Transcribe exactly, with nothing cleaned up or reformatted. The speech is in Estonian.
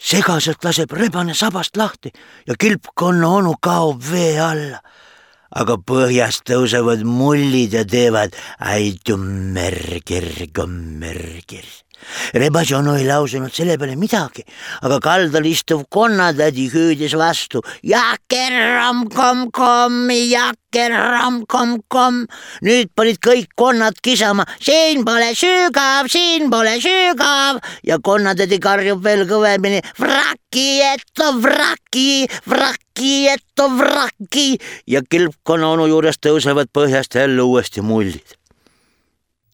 segaselt laseb rebane sabast lahti ja kilpkonna onu kaob vee alla. Aga põhjast tõusevad mullid ja teevad ai tummergir, kommergir. Rebase onu ei lausunud selle peale midagi, aga kaldal istuv konnatädi hüüdis vastu. Jaker-ram-kom-kom, jaker-ram-kom-kom. Nüüd panid kõik konnad kisama. Siin pole sügav, siin pole sügav. Ja konnatädi karjub veel kõvemini. Vraki, eto vraki, vraki, eto vraki. Ja kilpkonna onu juures tõusevad põhjast jälle uuesti mullid.